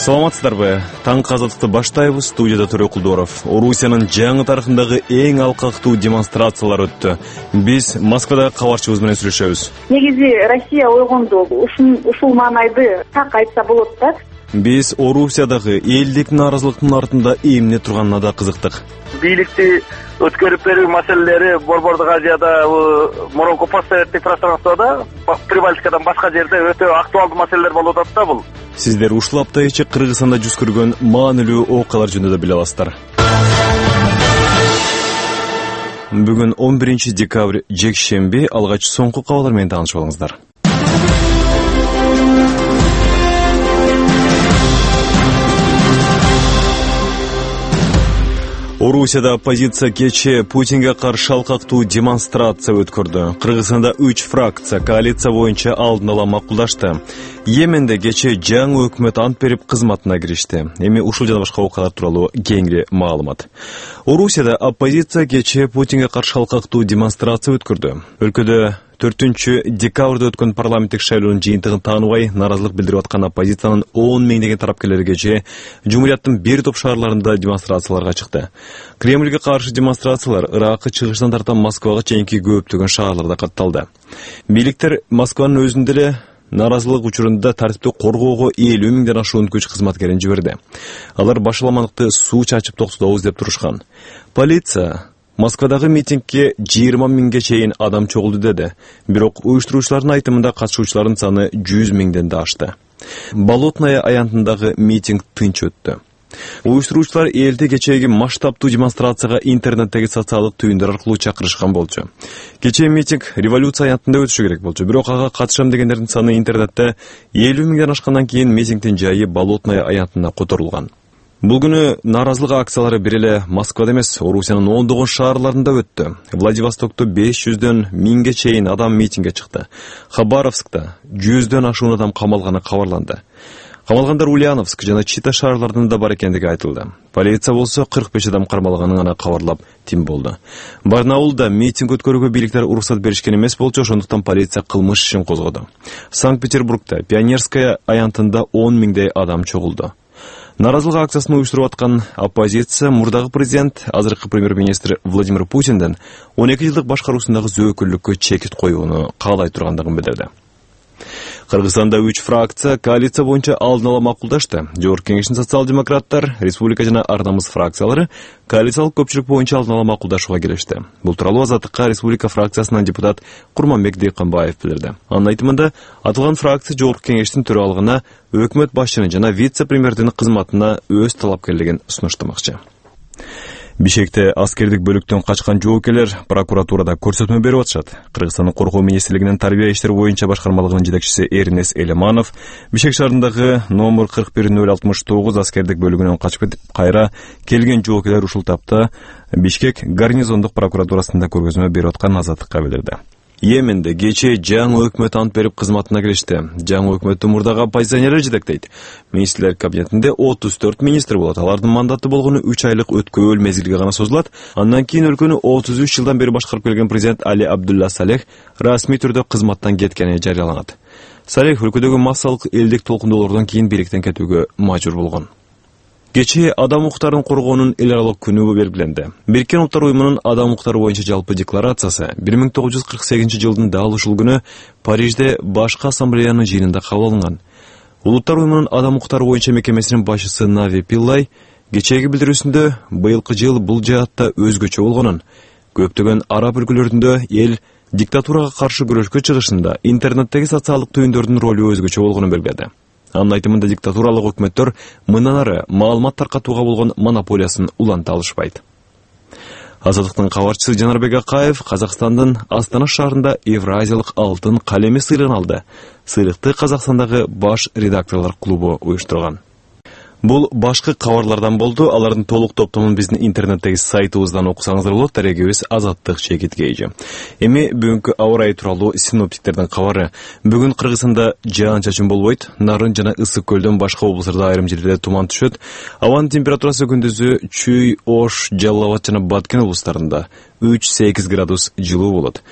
Саламатсыздарбы? Таң казаттыкты баштайбыз. Студияда Төрө Кулдоров. Орусиянын жаңы тарыхындагы эң алкактуу демонстрациялар өттү. Биз Москвадагы кабарчыбыз менен сүйлөшөбүз. Негизи Россия ойгонду. Ушул маанайды так айтса болот да. Биз Орусиядагы элдик нааразылыктын артында эмне турганына да кызыктык. Бийликти өткөрүп берүү маселелери Борбордук Азияда, мурунку постсоветтик пространствода, Прибалтикадан башка жерде өтө актуалдуу маселелер болуп атат да бул. Сиздер ушул апта ичи Кыргызстанда жүз көргөн маанилүү окуялар жөнүндө биле аласыздар. Бүгүн 11 декабрь жекшемби, алгач соңку кабарлар менен таанышып алыңыздар. Орусияда оппозиция кечээ Путинге каршы алкактуу демонстрация өткөрдү. Кыргызстанда 3 фракция коалиция боюнча алдын ала макулдашты. Йеменде кечээ жаңы өкмөт ант берип кызматына киришти. Эми ушул жана башка окуялар тууралуу кеңири маалымат. Орусияда оппозиция кечээ Путинге каршы алкактуу демонстрация өткөрдү. Өлкөдө 4 декабрда өткөн парламенттик шайлоонун жыйынтыгын тааныбай нааразылык билдирип аткан оппозициянын 10 миңдеген тараптуулары кечээ Жумурияттын бир топ шаарларында демонстрацияларга чыкты. Кремльге каршы демонстрациялар Иракы чыгышынан тарта Москвага чейинки көптөгөн шаарларда катталды. Бийликтер Москванын өзүндө эле нааразылык учурунда тартипти коргоого 50 миңден ашуун күч кызматкерин жиберди. Алар башаламандыкты суу чачып токтотобуз деп турушкан. Полиция Москвадагы митингге 20 миңге чейин адам чогулду деди. Бирок уюштуруучулардын айтымында катышуучулардын саны 100 миңден да ашты. Болотная аянтындагы митинг тынч өттү. Уюштуруучулар элди кечээги масштабтуу демонстрацияга интернеттеги социалдык түйүндөр аркылуу чакырышкан болчу. Кечээ митинг революция аянтында өтүшү керек болчу. Бирок ага катышам дегендердин саны интернетте 50 миңден ашкандан кийин митингдин жайы Болотная аянтына которулган. Бул күнү нааразылык акциялары бир эле Москвада эмес, Орусиянын ондогон шаарларында өттү. Владивостокто 500дөн 1000ге чейин адам митингге чыкты. Хабаровскта 100дөн ашуун адам камалганы кабарланды. Камалгандар Ульяновск жана Чита шаарларында бар экендиги айтылды. Полиция болсо 45 адам кармалганын гана кабарлап тим болду. Барнаулда митинг өткөрүүгө бийликтер уруксат беришкен эмес болчу, ошондуктан полиция кылмыш ишин козгоду. Санкт-Петербургда Пионерская аянтында 10 миңдей адам чогулду. Нааразылык акциясын уюштуруп аткан оппозиция мурдагы президент, азыркы премьер-министр Владимир Путинден 12 жылдык башкаруусундагы зөөкүллүккө чекит коюуну каалай тургандыгын билдирди. Кыргызстанда 3 фракция коалиция боюнча алдын ала макулдашты. Жогорку кеңештин социал-демократтар, республика жана Ар намыс фракциялары коалициялык көпчүлүк боюнча алдын ала макулдашууга келишти. Бул тууралуу Азаттыкка республика фракциясынан депутат Курманбек Дыйканбаев билдирди. Анын айтымында, атылган фракция жогорку кеңештин төралыгына өкмөт башчынын жана вице-премьердин кызматына өз талапкерлигин сунуштамакчы. Бишкекте аскердик бөлүктөн качкан жоокерлер прокуратурада көрсөтмө берип атышат. Кыргызстандын коргоо министрлигинин тарбия иштери боюнча башкармалыгынын жетекчиси Эрнес Элеманов Бишкек шаарындагы номер 41069 аскердик бөлүгүнөн качып кетип, кайра келген жоокерлер ушул тапта Бишкек гарнизондук прокуратурасында көргөзмө берип атканын Азаттыкка билдирди. Йеменде кечээ жаңы өкмөт ант берип кызматына киришти. Жаңы өкмөттү мурдагы оппозиционерлер жетектейт. Министрлер кабинетинде 34 министр болот. Алардын мандаты болгону 3 айлык өткөөл мезгилге гана созулат. Андан кийин өлкөнү 33 жылдан бери башкарып келген президент Али Абдулла Салех расмий түрдө кызматтан кеткени жарыяланат. Салех өлкөдөгү массалык элдик толкундоолордон кийин бийликтен кетүүгө мажбур болгон. Кечээ адам укуктарын коргоонун эл аралык күнү белгиленди. Бириккен Улуттар уюмунун адам укуктары боюнча жалпы декларациясы 1948 жылдын дал ушул күнү Парижде башкы ассамблеянын жыйынында кабыл алынган. Улуттар уюмунун адам укуктары боюнча мекемесинин башчысы Нави Пиллай кечээги билдирүүсүндө быйылкы жыл бул жаатта өзгөчө болгонун, көптөгөн араб өлкөлөрүндө эл диктатурага каршы күрөшкө чыгышында интернеттеги социалдык түйүндөрдүн ролу өзгөчө болгонун белгиледи. Анын айтымында диктатуралык өкмөттөр мындан ары маалымат таркатууга болгон монополиясын уланта алышпайт. Азаттыктын кабарчысы Жанарбек Акаев Казакстандын Астана шаарында Евразиялык алтын калеми сыйлыгын алды. Сыйлыкты Казакстандагы баш редакторлор клубу уюштурган. Бул башкы кабарлардан болду. Алардын толук топтомун биздин интернеттеги сайтыбыздан окусаңыздар болот. Дарегибиз Азаттык ЧК. Эми бүгүнкү аба ырайы тууралуу синоптиктердин кабары. Бүгүн Кыргызстанда жаан-чачын болбойт. Нарын жана Ысык көлдөн башка облустарда айрым жерлерде туман түшөт. Абанын температурасы күндүзү Чүй, Ош, Жалал Абад жана Баткен облустарында 3-8 градус жылуу болот.